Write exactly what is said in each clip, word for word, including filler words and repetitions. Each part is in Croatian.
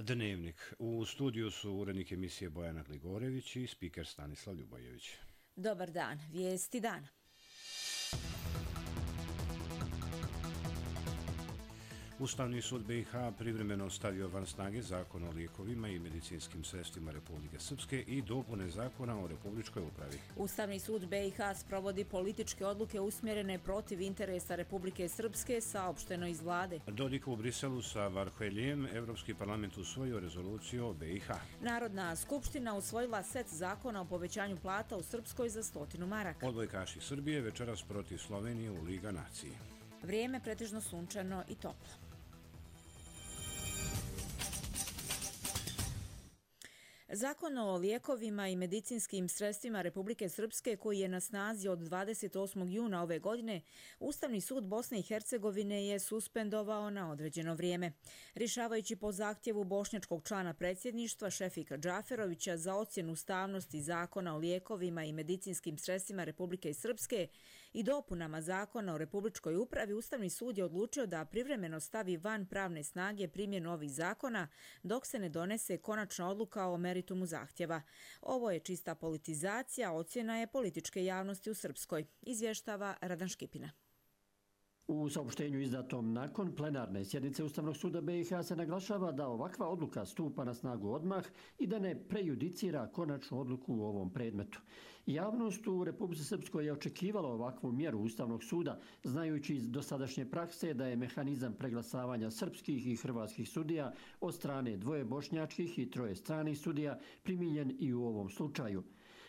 Dnevnik. U studiju su urednik emisije Bojana Gligorević i spiker Stanislav Ljubojević. Dobar dan. Vijesti dana. Ustavni sud B i H privremeno stavio van snage Zakon o lijekovima i medicinskim sredstvima Republike Srpske i dopune Zakona o Republičkoj upravi. Ustavni sud B i H sprovodi političke odluke usmjerene protiv interesa Republike Srpske, saopšteno iz vlade. Dodik u Briselu sa Varheljem, Evropski parlament usvojio rezoluciju o B i H. Narodna skupština usvojila set zakona o povećanju plata u Srpskoj za stotinu maraka. Odbojkaši Srbije večeras protiv Slovenije u Liga nacije. Vrijeme pretežno sunčano i toplo. Zakon o lijekovima i medicinskim sredstvima Republike Srpske, koji je na snazi od dvadeset osmog juna ove godine, Ustavni sud Bosne i Hercegovine je suspendovao na određeno vrijeme. Rješavajući po zahtjevu bošnjačkog člana predsjedništva Šefika Džaferovića za ocjenu ustavnosti Zakona o lijekovima i medicinskim sredstvima Republike Srpske i dopunama Zakona o Republičkoj upravi, Ustavni sud je odlučio da privremeno stavi van pravne snage primjenu ovih zakona dok se ne donese konačna odluka o meritumu zahtjeva. Ovo je čista politizacija, ocjena je političke javnosti u Srpskoj, izvještava Radan Škipina. U saopštenju izdatom nakon plenarne sjednice Ustavnog suda B i H se naglašava da ovakva odluka stupa na snagu odmah i da ne prejudicira konačnu odluku u ovom predmetu. Javnost u Republici Srpskoj je očekivala ovakvu mjeru Ustavnog suda, znajući iz dosadašnje prakse da je mehanizam preglasavanja srpskih i hrvatskih sudija od strane dvoje bošnjačkih i troje stranih sudija primijenjen i u ovom slučaju.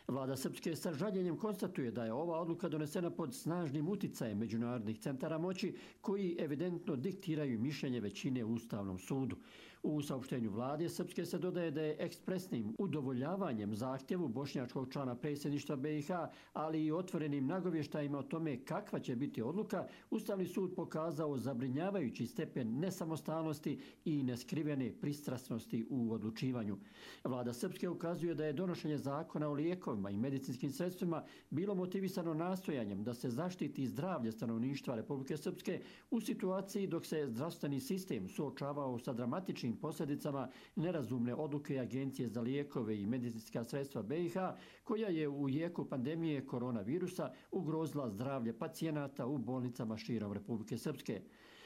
Vlada Srpske sa žaljenjem konstatuje da je ova odluka donesena pod snažnim uticajem međunarodnih centara moći koji evidentno diktiraju mišljenje većine u Ustavnom sudu. U saopštenju Vlade Srpske se dodaje da je ekspresnim udovoljavanjem zahtjevu bošnjačkog člana predsjedništva B i H, ali i otvorenim nagovještajima o tome kakva će biti odluka, Ustavni sud pokazao zabrinjavajući stepen nesamostalnosti i neskrivene pristrasnosti u odlučivanju. Vlada Srpske ukazuje da je donošenje zakona o lijekovima i medicinskim sredstvima bilo motivisano nastojanjem da se zaštiti zdravlje stanovništva Republike Srpske u situaciji dok se zdravstveni sistem suočavao sa dramatičnim posljedicama nerazumne odluke Agencije za lijekove i medicinska sredstva B i H, koja je u jeku pandemije koronavirusa ugrozila zdravlje pacijenata u bolnicama širom Republike Srpske.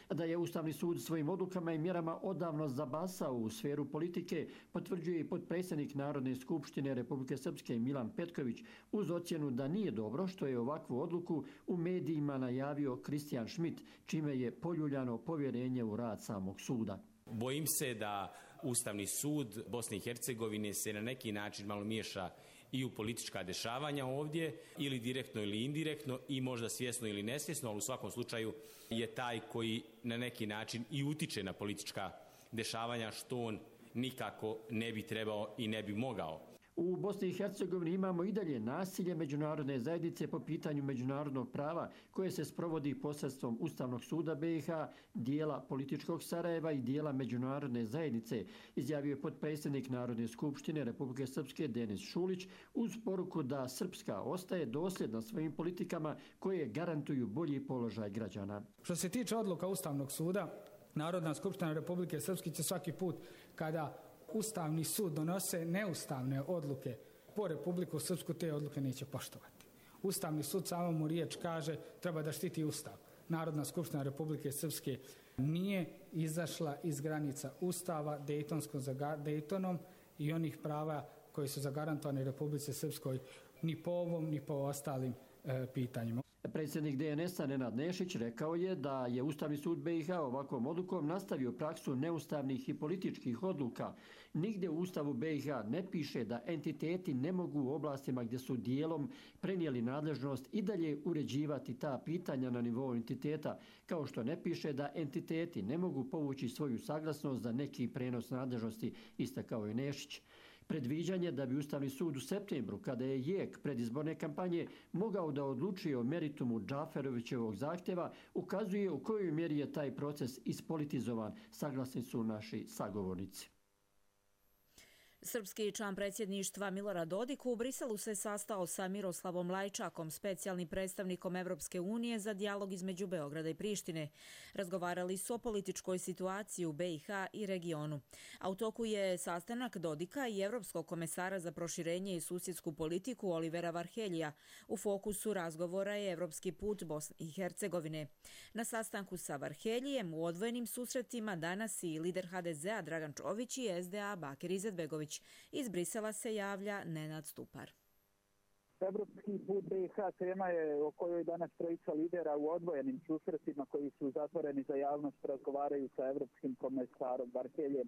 Da je Ustavni sud svojim odlukama i mjerama odavno zabasao u sferu politike, potvrđuje i potpredsjednik Narodne skupštine Republike Srpske Milan Petković uz ocjenu da nije dobro što je ovakvu odluku u medijima najavio Kristijan Šmit, čime je poljuljano povjerenje u rad samog suda. Bojim se da Ustavni sud Bosne i Hercegovine se na neki način malo miješa i u politička dešavanja ovdje, ili direktno ili indirektno, i možda svjesno ili nesvjesno, ali u svakom slučaju je taj koji na neki način i utiče na politička dešavanja, što on nikako ne bi trebao i ne bi mogao. U Bosni i Hercegovini imamo i dalje nasilje međunarodne zajednice po pitanju međunarodnog prava koje se sprovodi posredstvom Ustavnog suda B i H, dijela političkog Sarajeva i dijela međunarodne zajednice, izjavio je potpredsjednik Narodne skupštine Republike Srpske Denis Šulić uz poruku da Srpska ostaje dosljedna svojim politikama koje garantuju bolji položaj građana. Što se tiče odluka Ustavnog suda, Narodna skupština Republike Srpske će svaki put kada Ustavni sud donose neustavne odluke po Republiku Srpsku, te odluke neće poštovati. Ustavni sud samo mu riječ kaže treba da štiti Ustav. Narodna skupština Republike Srpske nije izašla iz granica Ustava Dejtonskom za Dejtonom i onih prava koji su zagarantovani Republici Srpskoj ni po ovom ni po ostalim e, pitanjima. Predsjednik D N S-a Nenad Nešić rekao je da je Ustavni sud B i H ovakvom odlukom nastavio praksu neustavnih i političkih odluka. Nigdje u Ustavu B i H ne piše da entiteti ne mogu u oblastima gdje su dijelom prenijeli nadležnost i dalje uređivati ta pitanja na nivou entiteta, kao što ne piše da entiteti ne mogu povući svoju saglasnost za neki prenos nadležnosti, istakao je Nešić. Predviđanje da bi Ustavni sud u septembru, kada je jek predizborne kampanje, mogao da odlučuje o meritumu Džaferovićevog zahtjeva, ukazuje u kojoj mjeri je taj proces ispolitizovan, saglasni su naši sagovornici. Srpski član predsjedništva Milorad Dodik u Briselu se sastao sa Miroslavom Lajčakom, specijalnim predstavnikom Evropske unije za dijalog između Beograda i Prištine. Razgovarali su o političkoj situaciji u B i H i regionu. A u toku je sastanak Dodika i Evropskog komesara za proširenje i susjedsku politiku Olivera Varheljija. U fokusu razgovora je evropski put Bosne i Hercegovine. Na sastanku sa Varheljijem u odvojenim susretima danas i lider H D Z-a Dragan Čović i S D A Bakir Izetbegović. Iz Brisela se javlja Nenad Stupar. Evropski put B i H tema je o kojoj danas trojica lidera u odvojenim susretima koji su zatvoreni za javnost razgovaraju sa evropskim komesarom Varheljem.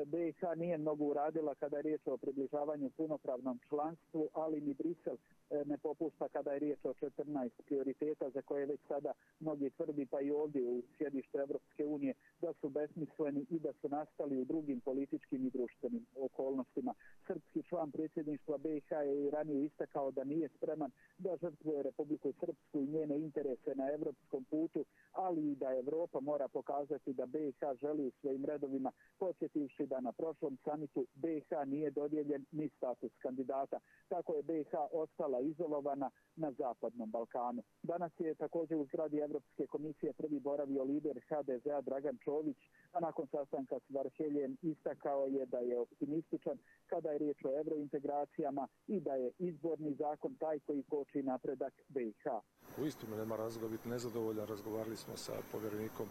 B i H nije mnogo uradila kada je riječ o približavanju punopravnom članstvu, ali ni Brisel ne popušta kada je riječ o četrnaest prioriteta za koje već sada mnogi tvrdi, pa i ovdje u sjedištu Evropske unije, da su besmisleni i da su nastali u drugim političkim i društvenim okolnostima. Srpski član predsjedništva B i H je i ranije istakao da nije spreman da žrtvuje Republiku Srpsku i njene interese na evropskom putu, ali i da Evropa mora pokazati da B i H želi u svojim redovima, podsjetivši da na prošlom samitu B i H nije dodijeljen ni status kandidata. Tako je B i H ostala izolovana na Zapadnom Balkanu. Danas je također u zgradi Evropske komisije prvi boravio lider H D Z-a Dragan Čović, a nakon sastanka s Varheljem istakao je da je optimističan kada je riječ o evrointegracijama i da je izborni zakon taj koji koči napredak B i H. Uistinu nema razloga biti nezadovoljan. Razgovarali smo sa povjerenikom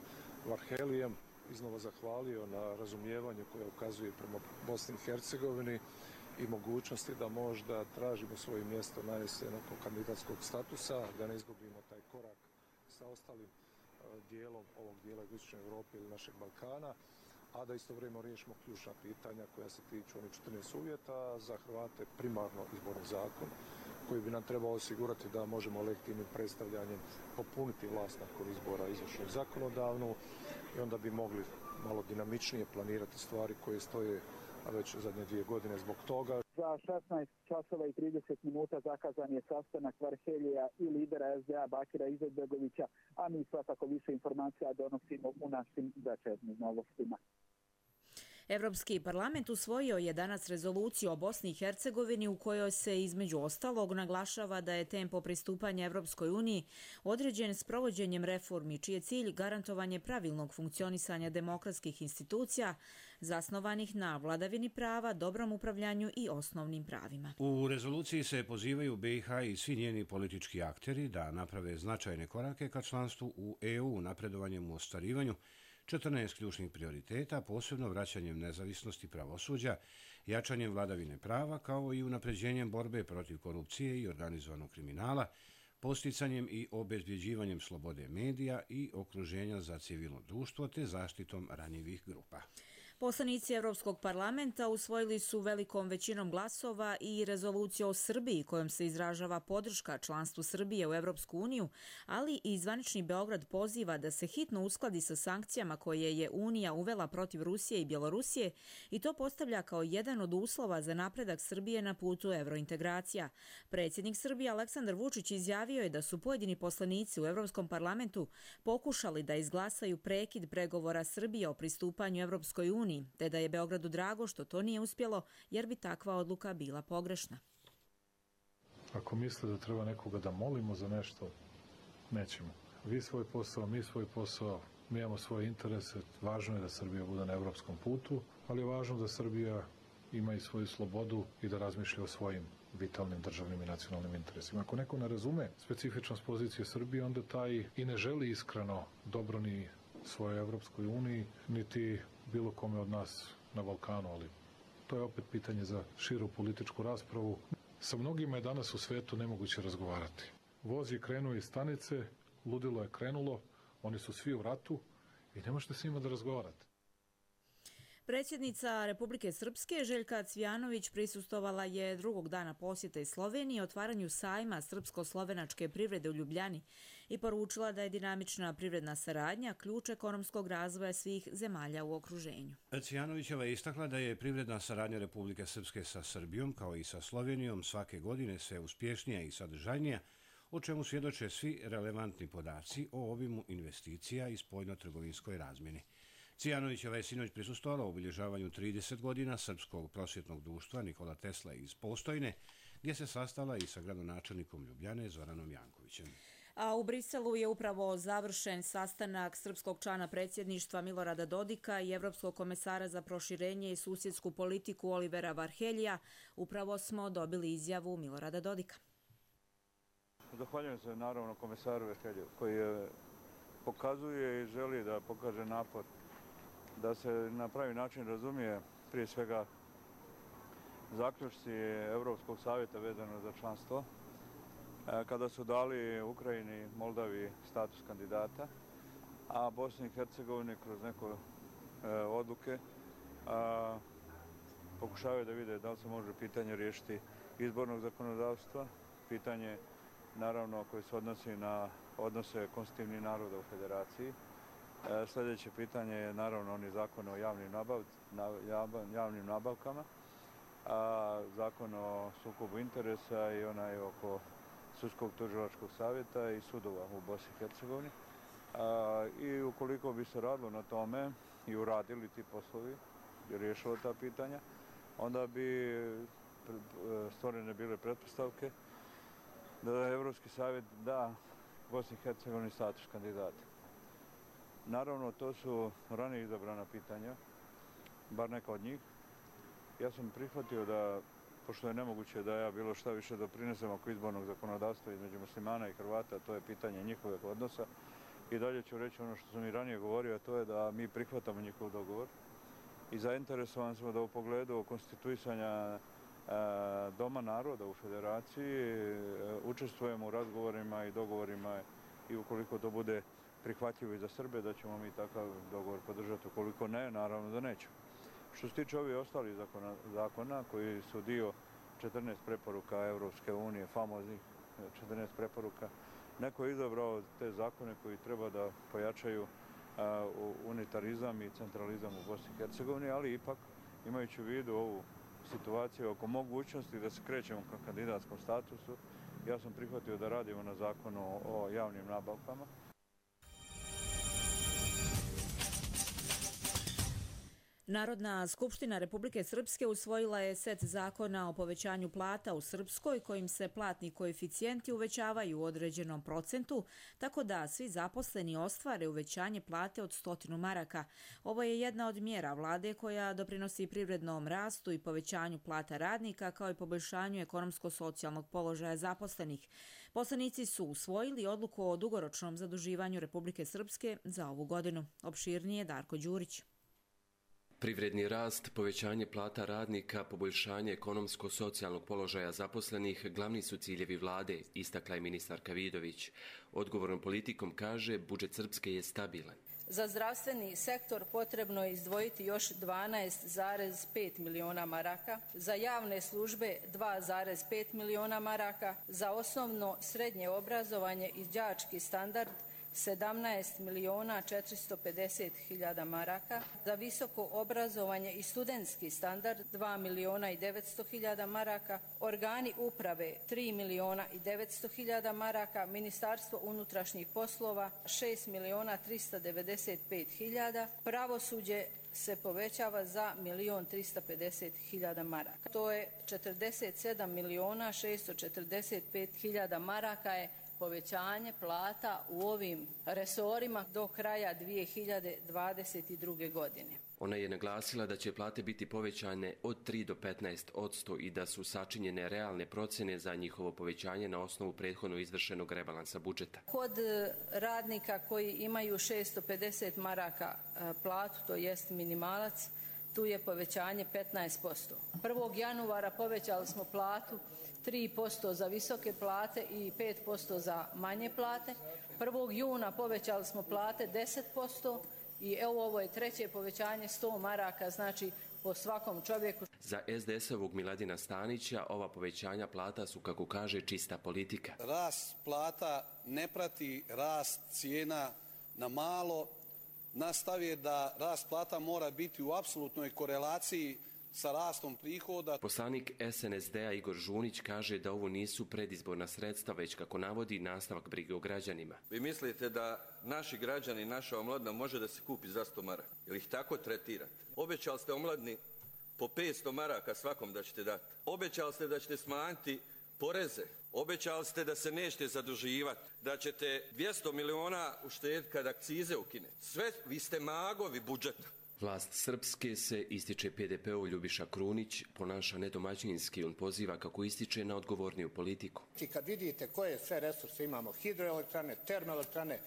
Varheljem, iznova zahvalio na razumijevanju koje ukazuje prema Bosni i Hercegovini i mogućnosti da možda tražimo svoje mjesto na jesen oko kandidatskog statusa, da ne izgubimo taj korak sa ostalim dijelom ovog dijela Jugoistočne Europe ili našeg Balkana, a da istovremeno riješimo ključna pitanja koja se tiču onih četrnaest uvjeta za Hrvate, primarno izborni zakon koji bi nam trebao osigurati da možemo legitimnim predstavljanjem popuniti vlast nakon izbora izvršnu i zakonodavnu i onda bi mogli malo dinamičnije planirati stvari koje stoje već zadnje dvije godine zbog toga. Za šesnaest časova i trideset minuta zakazan je sastanak Varhelja i lidera S D A Bakira Izetbegovića, a mi svakako više informacija donosimo u našim večernjim novostima. Evropski parlament usvojio je danas rezoluciju o Bosni i Hercegovini u kojoj se između ostalog naglašava da je tempo pristupanja Evropskoj uniji određen s provođenjem reformi, čiji je cilj garantovanje pravilnog funkcionisanja demokratskih institucija zasnovanih na vladavini prava, dobrom upravljanju i osnovnim pravima. U rezoluciji se pozivaju B i H i svi njeni politički akteri da naprave značajne korake ka članstvu u E U napredovanjem u ostvarivanju četrnaest ključnih prioriteta, posebno vraćanjem nezavisnosti pravosuđa, jačanjem vladavine prava, kao i unapređenjem borbe protiv korupcije i organizovanog kriminala, posticanjem i obezbjeđivanjem slobode medija i okruženja za civilno društvo te zaštitom ranjivih grupa. Poslanici Evropskog parlamenta usvojili su velikom većinom glasova i rezoluciju o Srbiji kojom se izražava podrška članstvu Srbije u Evropsku uniju, ali i zvanični Beograd poziva da se hitno uskladi sa sankcijama koje je Unija uvela protiv Rusije i Bjelorusije i to postavlja kao jedan od uslova za napredak Srbije na putu evrointegracija. Predsjednik Srbije Aleksandar Vučić izjavio je da su pojedini poslanici u Evropskom parlamentu pokušali da izglasaju prekid pregovora Srbije o pristupanju Evropskoj uniji, te da je Beogradu drago što to nije uspjelo, jer bi takva odluka bila pogrešna. Ako misle da treba nekoga da molimo za nešto, nećemo. Vi svoj posao, mi svoj posao, mi imamo svoje interese. Važno je da Srbija bude na evropskom putu, ali je važno da Srbija ima i svoju slobodu i da razmišlja o svojim vitalnim državnim i nacionalnim interesima. Ako neko ne razume specifičnost pozicije Srbije, onda taj i ne želi iskreno dobro ni svojoj Evropskoj uniji, niti bilo kome od nas na Balkanu, ali to je opet pitanje za širu političku raspravu. Sa mnogima je danas u svetu nemoguće razgovarati. Voz je krenuo iz stanice, ludilo je krenulo, oni su svi u ratu i ne možete s njima da razgovarate. Predsjednica Republike Srpske Željka Cvijanović prisustvovala je drugog dana posjete Sloveniji otvaranju sajma srpsko-slovenačke privrede u Ljubljani i poručila da je dinamična privredna saradnja ključ ekonomskog razvoja svih zemalja u okruženju. Cvijanovićeva je istakla da je privredna saradnja Republike Srpske sa Srbijom kao i sa Slovenijom svake godine sve uspješnija i sadržajnija, o čemu svjedoče svi relevantni podaci o obimu investicija i spoljno-trgovinskoj razmjeni. Cijanovićeva je sinoć prisustvovala u obilježavanju trideset godina Srpskog prosvjetnog društva Nikola Tesla iz Postojne, gdje se sastala i sa gradonačelnikom Ljubljane Zoranom Jankovićem. A u Briselu je upravo završen sastanak srpskog člana predsjedništva Milorada Dodika i Evropskog komesara za proširenje i susjedsku politiku Olivera Varheljija. Upravo smo dobili izjavu Milorada Dodika. Zahvaljujem se naravno komesaru Varheljiju koji je pokazuje i želi da pokaže napor da se na pravi način razumije prije svega zaključci Europskog savjeta vezano za članstvo, kada su dali Ukrajini, Moldavi status kandidata, a Bosni i Hercegovini kroz neke odluke pokušavaju da vide da li se može pitanje riješiti izbornog zakonodavstva, pitanje naravno koje se odnosi na odnose konstitutivnih naroda u federaciji. Sljedeće pitanje je naravno oni zakon o javnim, nabav, javnim nabavkama, a zakon o sukobu interesa i onaj oko sudskog tužilačkog savjeta i sudova u Bosni i Hercegovini. I ukoliko bi se radilo na tome i uradili ti poslovi i riješilo ta pitanja, onda bi stvorene bile pretpostavke da Evropski savjet da Bosni i Hercegovini status kandidata. Naravno, to su ranije izabrana pitanja, bar neka od njih. Ja sam prihvatio da, pošto je nemoguće da ja bilo šta više doprinesem oko izbornog zakonodavstva između muslimana i Hrvata, to je pitanje njihovog odnosa. I dalje ću reći ono što sam i ranije govorio, a to je da mi prihvatamo njihov dogovor. I zainteresovan smo da u pogledu konstituisanja Doma naroda u federaciji učestvujemo u razgovorima i dogovorima i ukoliko to bude prihvatljivo i za Srbe, da ćemo mi takav dogovor podržati. Ukoliko ne, naravno da nećemo. Što se tiče ovih ostalih zakona, zakona koji su dio četrnaest preporuka Evropske unije, famoznih četrnaest preporuka, neko je izabrao te zakone koji treba da pojačaju a, unitarizam i centralizam u Bosni i Hercegovini, ali ipak imajući u vidu ovu situaciju oko mogućnosti da se krećemo ka kandidatskom statusu, ja sam prihvatio da radimo na zakonu o javnim nabavkama. Narodna skupština Republike Srpske usvojila je set zakona o povećanju plata u Srpskoj kojim se platni koeficijenti uvećavaju u određenom procentu, tako da svi zaposleni ostvare uvećanje plate od stotinu maraka. Ovo je jedna od mjera vlade koja doprinosi privrednom rastu i povećanju plata radnika kao i poboljšanju ekonomsko-socijalnog položaja zaposlenih. Poslanici su usvojili odluku o dugoročnom zaduživanju Republike Srpske za ovu godinu. Opširnije Darko Đurić. Privredni rast, povećanje plata radnika, poboljšanje ekonomsko-socijalnog položaja zaposlenih glavni su ciljevi vlade, istakla je ministarka Vidović. Odgovornom politikom kaže, budžet Srpske je stabilan. Za zdravstveni sektor potrebno je izdvojiti još dvanaest zarez pet miliona maraka, za javne službe dva zarez pet miliona maraka, za osnovno srednje obrazovanje i đački standard sedamnaest miliona četiristo pedeset hiljada maraka, za visoko obrazovanje i studentski standard dva miliona i devetsto hiljada maraka, organi uprave tri miliona i devetsto hiljada maraka, Ministarstvo unutrašnjih poslova šest miliona tristo devedeset pet hiljada, pravosuđe se povećava za milion tristo pedeset hiljada maraka. To je četrdeset sedam miliona šesto četrdeset pet hiljada maraka je povećanje plata u ovim resorima do kraja dvije hiljade dvadeset druge godine. Ona je naglasila da će plate biti povećane od tri do petnaest posto i da su sačinjene realne procjene za njihovo povećanje na osnovu prethodno izvršenog rebalansa budžeta. Kod radnika koji imaju šesto pedeset maraka platu, to jest minimalac, tu je povećanje petnaest posto. prvog januara povećali smo platu tri posto za visoke plate i pet posto za manje plate. prvog juna povećali smo plate deset posto i evo ovo je treće povećanje sto maraka, znači po svakom čovjeku. Za es de es-ovog Miladina Stanića ova povećanja plata su, kako kaže, čista politika. Rast plata ne prati rast cijena na malo. Nastav je da rast plata mora biti u apsolutnoj korelaciji sa rastom prihoda. Poslanik S N S D-a Igor Žunić kaže da ovo nisu predizborna sredstva, već kako navodi nastavak brige o građanima. Vi mislite da naši građani, naša omladina može da se kupi za sto maraka? Ili ih tako tretirate? Obećali ste omladini po petsto maraka svakom da ćete dati. Obećali ste da ćete smanjiti poreze. Obećali ste da se nećete zaduživati, da ćete dvjesto miliona uštediti kad akcize ukine. Sve, vi ste magovi budžeta. Vlast Srpske se, ističe P D P-ov Ljubiša Krunić, ponaša nedomaćinski. On poziva, kako ističe, na odgovorniju politiku. I kad vidite koje sve resurse imamo, hidroelektrane, termoelektrane,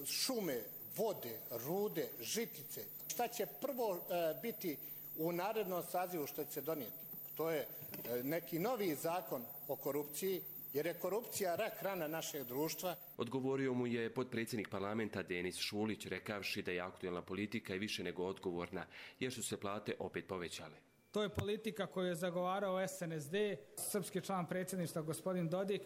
šume, vode, rude, žitice, šta će prvo e, biti u narednom sazivu što će se donijeti? To je e, neki novi zakon o korupciji, jer je korupcija rak rana našeg društva. Odgovorio mu je potpredsjednik parlamenta Denis Šulić, rekavši da je aktualna politika i više nego odgovorna, jer su se plate opet povećale. To je politika koju je zagovarao S N S D, srpski član predsjedništva gospodin Dodik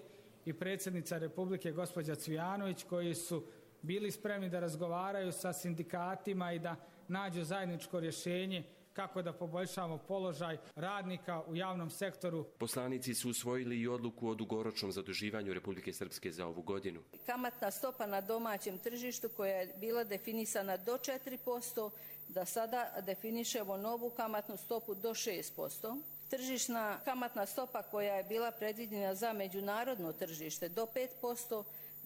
i predsjednica Republike gospođa Cvijanović, koji su bili spremni da razgovaraju sa sindikatima i da nađu zajedničko rješenje kako da poboljšamo položaj radnika u javnom sektoru. Poslanici su usvojili i odluku o dugoročnom zaduživanju Republike Srpske za ovu godinu. Kamatna stopa na domaćem tržištu koja je bila definisana do četiri posto, da sada definišemo novu kamatnu stopu do šest posto. Tržišna kamatna stopa koja je bila predviđena za međunarodno tržište do pet posto,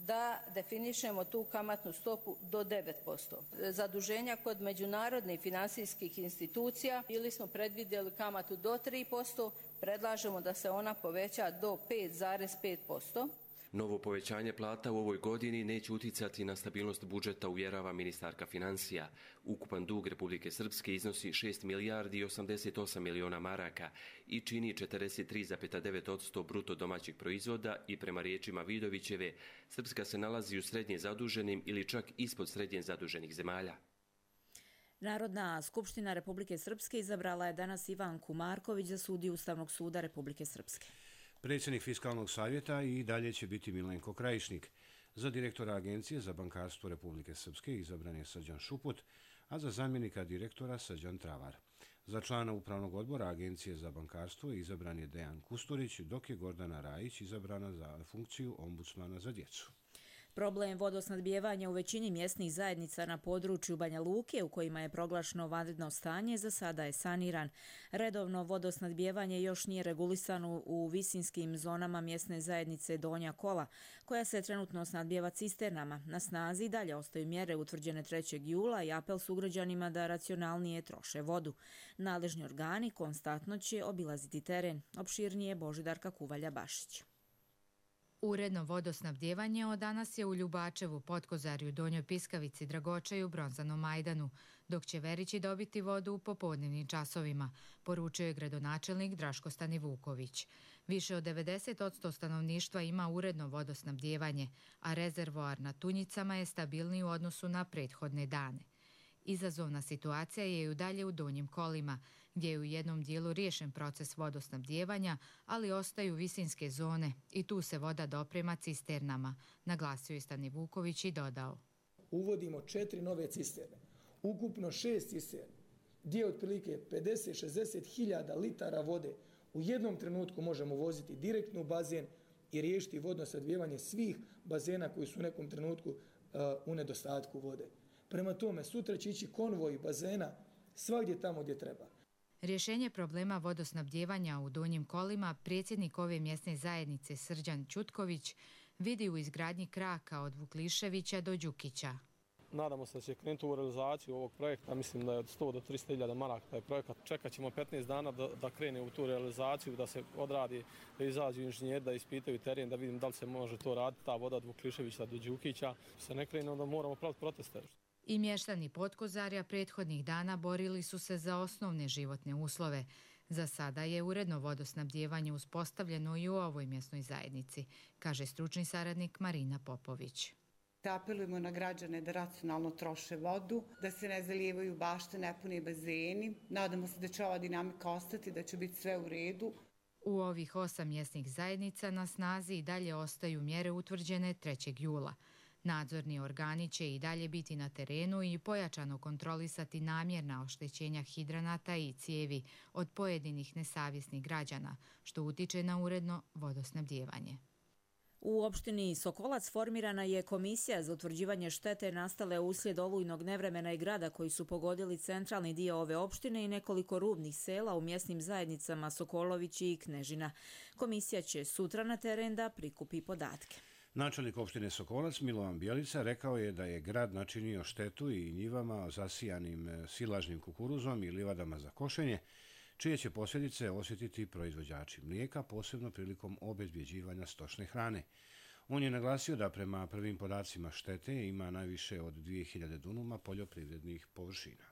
da definišemo tu kamatnu stopu do devet posto. Zaduženja kod međunarodnih financijskih institucija ili smo predvidjeli kamatu do tri posto, predlažemo da se ona poveća do pet zarez pet posto. Novo povećanje plata u ovoj godini neće uticati na stabilnost budžeta, uvjerava ministarka financija. Ukupan dug Republike Srpske iznosi šest milijardi i osamdeset osam miliona maraka i čini četrdeset tri zarez devet posto bruto domaćeg proizvoda i prema riječima Vidovićeve, Srpska se nalazi u srednje zaduženim ili čak ispod srednje zaduženih zemalja. Narodna skupština Republike Srpske izabrala je danas Ivanku Marković za sudiju Ustavnog suda Republike Srpske. Predsjednik Fiskalnog savjeta i dalje će biti Milenko Krajišnik. Za direktora Agencije za bankarstvo Republike Srpske izabran je Srđan Šuput, a za zamjenika direktora Srđan Travar. Za člana Upravnog odbora Agencije za bankarstvo izabran je Dejan Kusturić, dok je Gordana Rajić izabrana za funkciju ombudsmana za djecu. Problem vodosnadbijevanja u većini mjesnih zajednica na području Banja Luke, u kojima je proglašeno vanredno stanje, za sada je saniran. Redovno vodosnadbijevanje još nije regulisano u visinskim zonama mjesne zajednice Donja Kola, koja se trenutno snadbijeva cisternama. Na snazi dalje ostaju mjere utvrđene trećeg jula i apel sugrađanima da racionalnije troše vodu. Nadležni organi konstantno će obilaziti teren. Opširnije Božidarka Kuvalja-Bašić. Uredno vodosnabdjevanje od danas je u Ljubačevu, Potkozarju, Donjoj Piskavici, Dragočaju, Bronzanom Majdanu, dok će Verići dobiti vodu u popodnevnim časovima, poručio je gradonačelnik Draško Stanivuković. Više od devedeset posto stanovništva ima uredno vodosnabdjevanje, a rezervoar na Tunjicama je stabilniji u odnosu na prethodne dane. Izazovna situacija je i u dalje u Donjim Kolima, gdje je u jednom dijelu riješen proces vodosnabdjevanja, ali ostaju visinske zone i tu se voda doprema cisternama, naglasio je Stanivuković i dodao. Uvodimo četiri nove cisterne, ukupno šest cisterni, gdje otprilike pedeset do šezdeset hiljada litara vode u jednom trenutku možemo voziti direktno u bazen i riješiti vodosnabdjevanje svih bazena koji su u nekom trenutku uh, u nedostatku vode. Prema tome, sutra će ići konvoj bazena svagdje tamo gdje treba. Rješenje problema vodosnabdjevanja u Donjim Kolima predsjednik ove mjesne zajednice Srđan Ćutković vidi u izgradnji kraka od Vukliševića do Đukića. Nadamo se da će krenuti u realizaciju ovog projekta, mislim da je od sto do tristo hiljada maraka taj projekat. Čekat ćemo petnaest dana da, da krene u tu realizaciju, da se odradi, da izađu inženjeri, da ispitaju teren, da vidim da li se može to raditi, ta voda od Vukliševića do Đukića. Se ne krene, onda moramo praviti proteste. I mještani Potkozarja prethodnih dana borili su se za osnovne životne uslove. Za sada je uredno vodosnabdjevanje uspostavljeno i u ovoj mjesnoj zajednici, kaže stručni saradnik Marina Popović. Apelujemo na građane da racionalno troše vodu, da se ne zalijevaju bašte, nepuni bazeni. Nadamo se da će ova dinamika ostati, da će biti sve u redu. U ovih osam mjesnih zajednica na snazi i dalje ostaju mjere utvrđene trećeg jula. Nadzorni organi će i dalje biti na terenu i pojačano kontrolisati namjerna oštećenja hidranata i cijevi od pojedinih nesavjesnih građana, što utiče na uredno vodosnabdijevanje. U opštini Sokolac formirana je komisija za utvrđivanje štete nastale uslijed olujnog nevremena i grada koji su pogodili centralni dio ove opštine i nekoliko rubnih sela u mjesnim zajednicama Sokolović i Knežina. Komisija će sutra na teren da prikupi podatke. Načelnik opštine Sokolac Milovan Bjelica rekao je da je grad načinio štetu i njivama zasijanim silažnim kukuruzom i livadama za košenje, čije će posljedice osjetiti proizvođači mlijeka, posebno prilikom obezbjeđivanja stočne hrane. On je naglasio da prema prvim podacima štete ima najviše od dvije hiljade dunuma poljoprivrednih površina.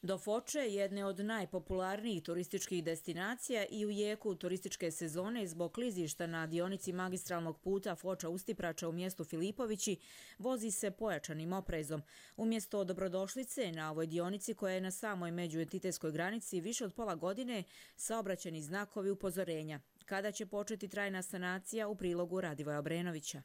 Do Foče, jedne od najpopularnijih turističkih destinacija i u jeku turističke sezone zbog klizišta na dionici magistralnog puta Foča-Ustiprača u mjestu Filipovići, vozi se pojačanim oprezom. Umjesto dobrodošlice na ovoj dionici koja je na samoj međuentitetskoj granici više od pola godine, saobraćajni znakovi upozorenja. Kada će početi trajna sanacija, u prilogu Radivoja Obrenovića.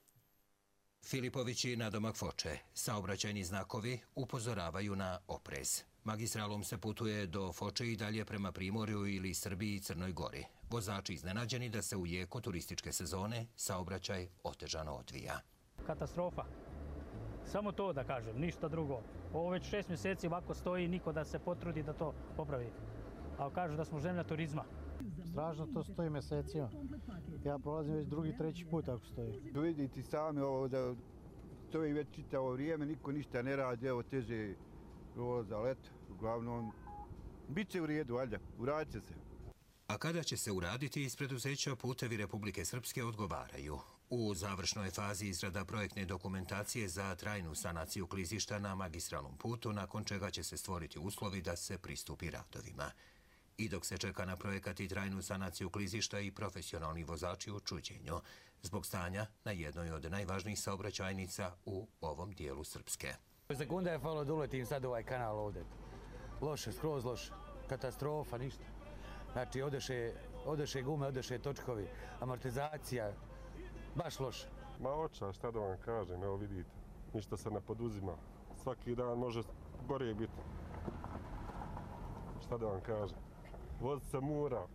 Filipovići na domak Foče. Saobraćajni znakovi upozoravaju na oprez. Magistralom se putuje do Foče i dalje prema Primorju ili Srbiji i Crnoj Gori. Vozači iznenađeni da se u jeku turističke sezone saobraćaj otežano odvija. Katastrofa. Samo to da kažem, ništa drugo. Ovo već šest mjeseci ovako stoji, niko da se potrudi da to popravi. Ali kažu da smo zemlja turizma. Strašno to stoji mjesecima. Ja prolazim već drugi, treći put ako stoji. Vidite sami ovo da stoji već čitavo vrijeme, niko ništa ne radi, evo teže za leto. Uglavnom, bit će u redu, valjda, uradit će se. A kada će se uraditi, iz preduzeća Putevi Republike Srpske odgovaraju. U završnoj fazi izrada projektne dokumentacije za trajnu sanaciju klizišta na magistralnom putu, nakon čega će se stvoriti uslovi da se pristupi radovima. I dok se čeka na projekat i trajnu sanaciju klizišta i profesionalni vozači u čuđenju, zbog stanja na jednoj od najvažnijih saobraćajnica u ovom dijelu Srpske. Sekunda je falo da uletim sad ovaj kanal ovdje. Loše, skroz loše. Katastrofa, ništa. Znači, odeše, odeše gume, odeše točkovi, amortizacija, baš loše. Ma oča, šta da vam kažem, evo vidite, ništa se ne poduzima. Svaki dan može gore biti. Šta da vam kažem, voz se mora,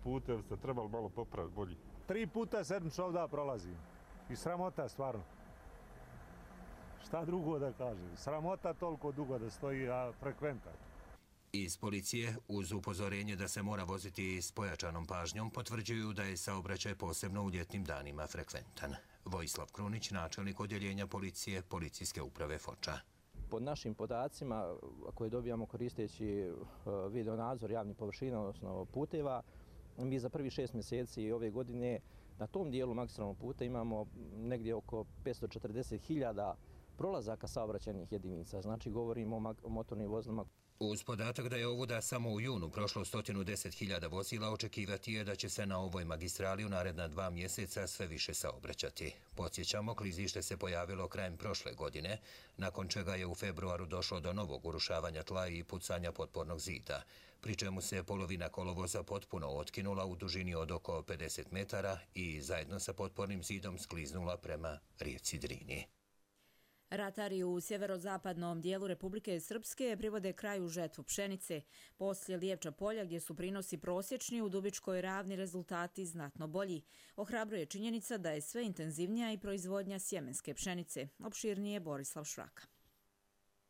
putev se trebalo malo popraviti bolji. Tri puta sedmično ovdje prolazim i sramota stvarno. Šta drugo da kažem, sramota toliko dugo da stoji, a frekventan. Iz policije, uz upozorenje da se mora voziti s pojačanom pažnjom, potvrđuju da je saobraćaj posebno u ljetnim danima frekventan. Vojislav Krunić, načelnik odjeljenja policije Policijske uprave Foča. Po našim podacima koje dobijamo koristeći video nadzor javnih površina, odnosno puteva, mi za prvi šest mjeseci ove godine na tom dijelu magistralnog puta imamo negdje oko petsto četrdeset hiljada prolazaka saobraćajnih jedinica. Znači govorimo o motornim vozilima. Uz podatak da je ovuda samo u junu prošlo sto deset hiljada vozila, očekivati je da će se na ovoj magistrali u naredna dva mjeseca sve više saobraćati. Podsjećamo, klizište se pojavilo krajem prošle godine, nakon čega je u februaru došlo do novog urušavanja tla i pucanja potpornog zida, pri čemu se polovina kolovoza potpuno otkinula u dužini od oko pedeset metara i zajedno sa potpornim zidom skliznula prema rijeci Drini. Ratari u sjeverozapadnom dijelu Republike Srpske privode kraju žetvu pšenice. Poslije Lijevča polja, gdje su prinosi prosječni, u Dubičkoj ravni rezultati znatno bolji. Ohrabruje činjenica da je sve intenzivnija i proizvodnja sjemenske pšenice. Opširnije Borislav Švraka.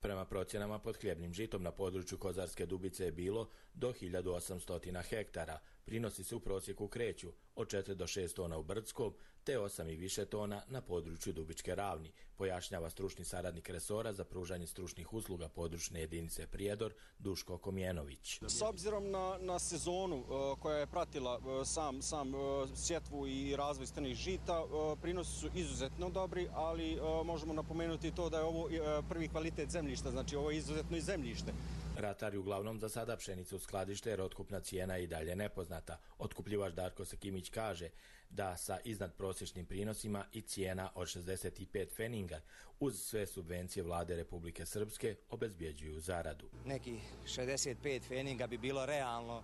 Prema procjenama pod hljebnim žitom na području Kozarske Dubice je bilo do hiljadu osamsto hektara. Prinosi se u prosjeku kreću od četiri do šest tona u Brdskom, te osam i više tona na području Dubičke ravni, pojašnjava stručni saradnik resora za pružanje stručnih usluga područne jedinice Prijedor, Duško Komjenović. S obzirom na, na sezonu uh, koja je pratila uh, sam, sam uh, sjetvu i razvoj strnih žita, uh, prinosi su izuzetno dobri, ali uh, možemo napomenuti to da je ovo uh, prvi kvalitet zemljišta, znači ovo je izuzetno i zemljište. Ratari uglavnom za sada pšenicu skladište jer otkupna cijena je i dalje nepoznata. Otkupljivač Darko Sekimić kaže da sa iznad prosječnim prinosima i cijena od šezdeset pet feninga uz sve subvencije vlade Republike Srpske obezbjeđuju zaradu. Neki šezdeset pet feninga bi bilo realno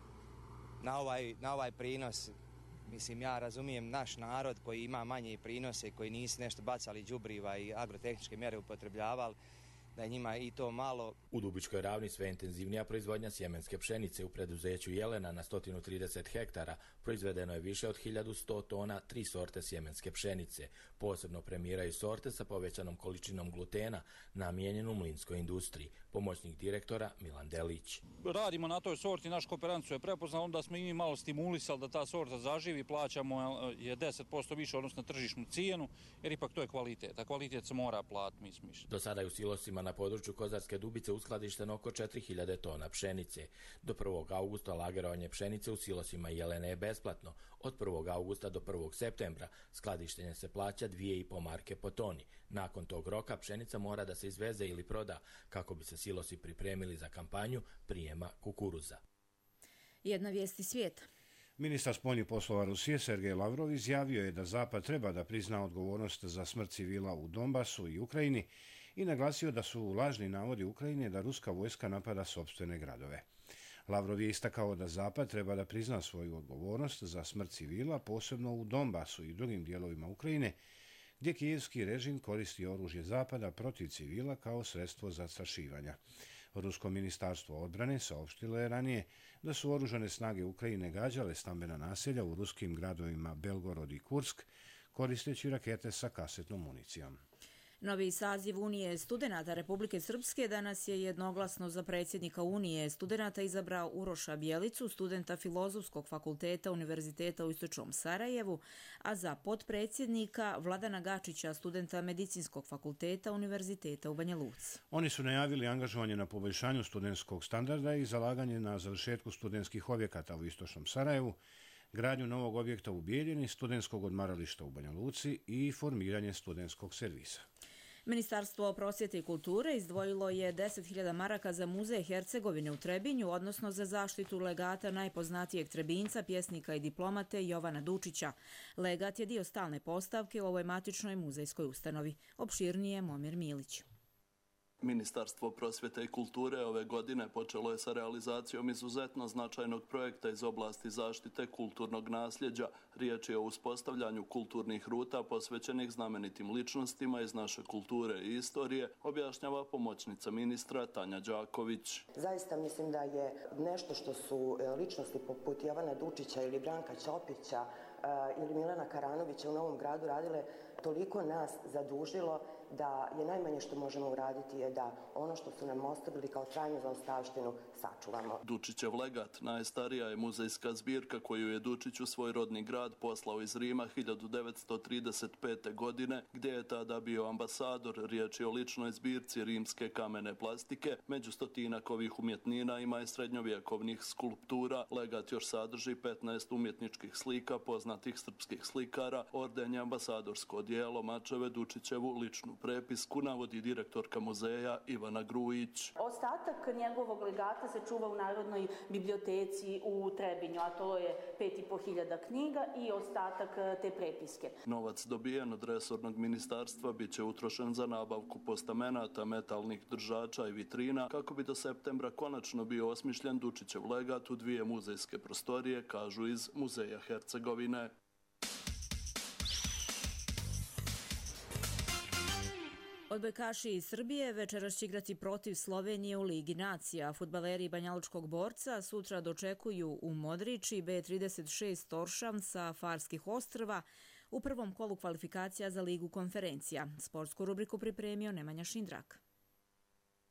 na ovaj, na ovaj prinos Mislim, ja razumijem naš narod koji ima manje prinose, koji nisu nešto bacali đubriva i agrotehničke mjere upotrebljavali, da je njima i to malo. U Dubičkoj ravni sve intenzivnija proizvodnja sjemenske pšenice. U preduzeću Jelena na sto trideset hektara proizvedeno je više od hiljadu sto tona tri sorte sjemenske pšenice. Posebno premiraju sorte sa povećanom količinom glutena namijenjenu mlinskoj industriji. Pomoćnik direktora Milan Delić. Radimo na toj sorti, naš kooperant su je prepoznao, onda smo i mi malo stimulisali da ta sorta zaživi, plaćamo je deset posto više odnosno na tržišnu cijenu, jer ipak to je kvalitet, a kvalitet se mora platiti, mi smišljamo. Do sada je u silosima na području Kozarske Dubice uskladišteno oko četiri hiljade tona pšenice. Do prvog augusta lagerovanje pšenice u silosima Jelene je besplatno. Od prvog augusta do prvog septembra skladištenje se plaća dvije i po marke po toni. Nakon tog roka pšenica mora da se izveze ili proda kako bi se silosi pripremili za kampanju prijema kukuruza. Jedna vijest iz svijeta. Ministar spoljnih poslova Rusije Sergej Lavrov izjavio je da Zapad treba da prizna odgovornost za smrt civila u Donbasu i Ukrajini i naglasio da su lažni navodi Ukrajine da ruska vojska napada sopstvene gradove. Lavrov je istakao da Zapad treba da prizna svoju odgovornost za smrt civila, posebno u Donbasu i drugim dijelovima Ukrajine, gdje kijevski režim koristi oružje Zapada protiv civila kao sredstvo zastrašivanja. Rusko ministarstvo odbrane saopštilo je ranije da su oružane snage Ukrajine gađale stambena naselja u ruskim gradovima Belgorod i Kursk, koristeći rakete sa kasetnom municijom. Novi saziv Unije studenata Republike Srpske danas je jednoglasno za predsjednika Unije studenata izabrao Uroša Bjelicu, studenta Filozofskog fakulteta Univerziteta u Istočnom Sarajevu, a za potpredsjednika Vladana Gačića, studenta Medicinskog fakulteta Univerziteta u Banja Luci. Oni su najavili angažovanje na poboljšanju studentskog standarda i zalaganje na završetku studentskih objekata u Istočnom Sarajevu, gradnju novog objekta u Bijeljini, studentskog odmarališta u Banja Luci i formiranje studentskog servisa. Ministarstvo prosvjete i kulture izdvojilo je deset hiljada maraka za muzej Hercegovine u Trebinju, odnosno za zaštitu legata najpoznatijeg Trebinjca, pjesnika i diplomate Jovana Dučića. Legat je dio stalne postavke u ovoj matičnoj muzejskoj ustanovi. Opširnije Momir Milić. Ministarstvo prosvjete i kulture ove godine počelo je sa realizacijom izuzetno značajnog projekta iz oblasti zaštite kulturnog nasljeđa. Riječ je o uspostavljanju kulturnih ruta posvećenih znamenitim ličnostima iz naše kulture i istorije, objašnjava pomoćnica ministra Tanja Đaković. Zaista mislim da je nešto što su ličnosti poput Jovana Dučića ili Branka Ćopića ili Milana Karanovića u Novom Gradu radile toliko nas zadužilo da je najmanje što možemo uraditi je da ono što su nam ostavili kao trajnu zaostavštinu sačuvamo. Dučićev legat najstarija je muzejska zbirka koju je Dučić u svoj rodni grad poslao iz Rima hiljadu devetsto trideset pete. godine, gdje je tada bio ambasador. Riječ je o ličnoj zbirci rimske kamene plastike. Među stotinak ovih umjetnina ima i srednjovjekovnih skulptura. Legat još sadrži petnaest umjetničkih slika poznatih srpskih slikara, ordenje, ambasadorsko odijelo, mačeve, Dučićevu ličnu prepisku, navodi direktorka muzeja Ivana Grujić. Ostatak njegovog legata se čuva u Narodnoj biblioteci u Trebinju, a to je pet i po hiljada knjiga i ostatak te prepiske. Novac dobijen od resornog ministarstva bit će utrošen za nabavku postamenata, metalnih držača i vitrina, kako bi do septembra konačno bio osmišljen Dučićev legat u dvije muzejske prostorije, kažu iz Muzeja Hercegovine. Odbojkaši iz Srbije večeras će igrati protiv Slovenije u Ligi nacija. Fudbaleri Banjalučkog borca sutra dočekuju u Modriči B trideset šest Toršam sa Farskih ostrva u prvom kolu kvalifikacija za Ligu konferencija. Sportsku rubriku pripremio Nemanja Šindrak.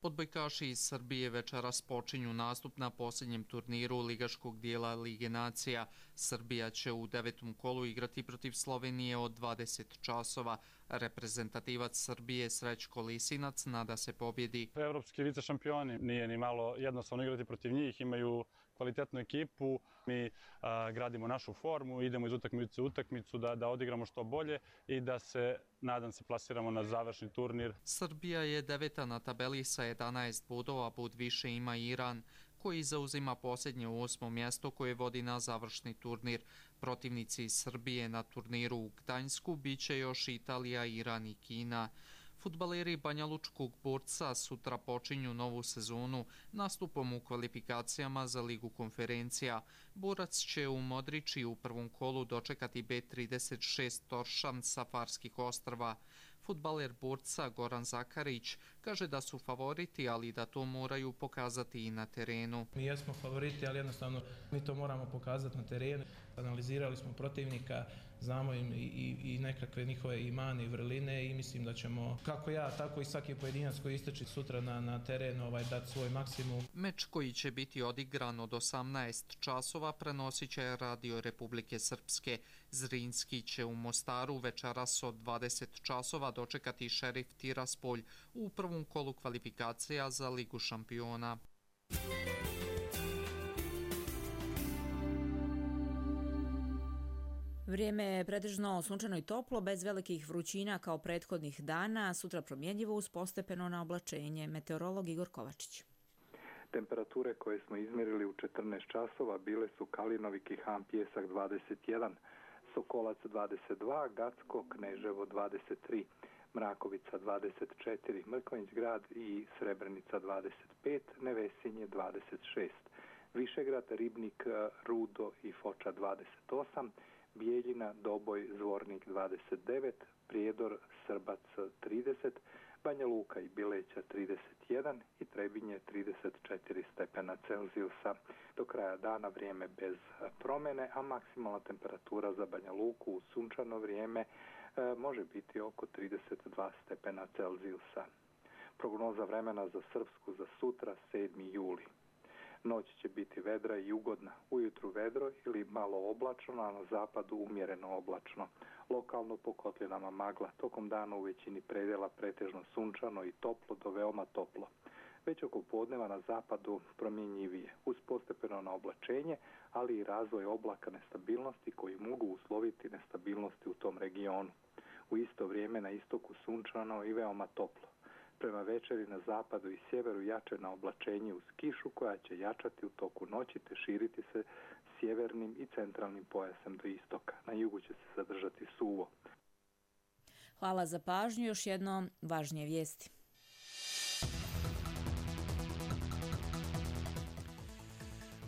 Odbojkaši iz Srbije večeras počinju nastup na posljednjem turniru ligaškog dijela Lige nacija. Srbija će u devetom kolu igrati protiv Slovenije od dvadeset časova. Reprezentativac Srbije Srećko Lisinac nada se pobjedi. Evropski vice šampioni, nije ni malo jednostavno igrati protiv njih, imaju kvalitetnu ekipu, mi a, gradimo našu formu, idemo iz utakmice u utakmicu da, da odigramo što bolje i da se, nadam se, plasiramo na završni turnir. Srbija je deveta na tabeli sa jedanaest bodova, bod više ima Iran, koji zauzima posljednje osmo mjesto koje vodi na završni turnir. Protivnici Srbije na turniru u Gdańsku bit će još Italija, Iran i Kina. Fudbaleri Banjalučkog Borca sutra počinju novu sezonu nastupom u kvalifikacijama za Ligu konferencija. Borac će u Modriči u prvom kolu dočekati B trideset šest Toršan sa Farskih ostrva. Fudbaler Borca Goran Zakarić kaže da su favoriti, ali da to moraju pokazati i na terenu. Mi jesmo favoriti, ali jednostavno mi to moramo pokazati na terenu. Analizirali smo protivnika, znamo im i, i, i nekakve njihove i mane i vrline i mislim da ćemo, kako ja, tako i svaki pojedinac koji isteči sutra na, na terenu ovaj, dati svoj maksimum. Meč koji će biti odigran od osamnaest časova prenosit će Radio Republike Srpske. Zrinski će u Mostaru večeras od dvadeset časova dočekati Šerif Tiraspolj u prvom kolu kvalifikacija za Ligu šampiona. Vrijeme je pretežno sunčano i toplo, bez velikih vrućina kao prethodnih dana, sutra promjenjivo uz postepeno na oblačenje. Meteorolog Igor Kovačić. Temperature koje smo izmjerili u četrnaest časova bile su Kalinovi, Kihan, Pjesak dvadeset jedan, Sokolac dvadeset dva, Gacko, Kneževo dvadeset tri, Mrakovica dvadeset četiri, Mrkonjić grad i Srebrenica dvadeset pet, Nevesinje dvadeset šest, Višegrad, Ribnik, Rudo i Foča dvadeset osam, Bijeljina, Doboj, Zvornik dvadeset devet, Prijedor, Srbac trideset, Banja Luka i Bileća trideset jedan i Trebinje trideset četiri stepena Celzijusa. Do kraja dana vrijeme bez promjene, a maksimalna temperatura za Banja Luku u sunčano vrijeme e, može biti oko trideset dva stepena Celzijusa. Prognoza vremena za Srpsku za sutra sedmi juli. Noć će biti vedra i ugodna, ujutru vedro ili malo oblačno, a na zapadu umjereno oblačno. Lokalno po kotlinama magla, tokom dana u većini predjela pretežno sunčano i toplo do veoma toplo. Već oko podneva na zapadu promjenjivije, uz postepeno na oblačenje, ali i razvoj oblaka nestabilnosti koji mogu usloviti nestabilnosti u tom regionu. U isto vrijeme na istoku sunčano i veoma toplo. Prema večeri na zapadu i sjeveru jače na oblačenje uz kišu koja će jačati u toku noći te širiti se sjevernim i centralnim pojasem do istoka. Na jugu će se zadržati suvo. Hvala za pažnju. Još jedno važnije vijesti.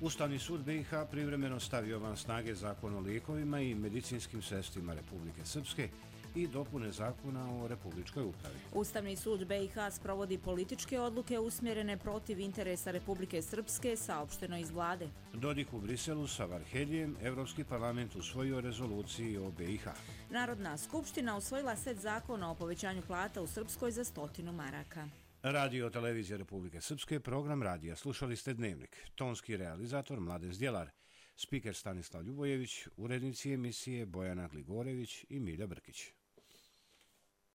Ustavni sud B i H privremeno stavio van snage Zakon o lijekovima i medicinskim sredstvima Republike Srpske i dopune Zakona o Republičkoj upravi. Ustavni sud B i H sprovodi političke odluke usmjerene protiv interesa Republike Srpske, saopšteno iz vlade. Dodik u Briselu sa Varheljem, Evropski parlament usvojio rezoluciju o B i H. Narodna skupština usvojila set zakona o povećanju plata u Srpskoj za stotinu maraka. Radio Televizija Republike Srpske, program radija. Slušali ste Dnevnik. Tonski realizator Mladen Zdjelar, spiker Stanislav Ljubojević, urednici emisije Bojana Gligorević i Milja Brkić.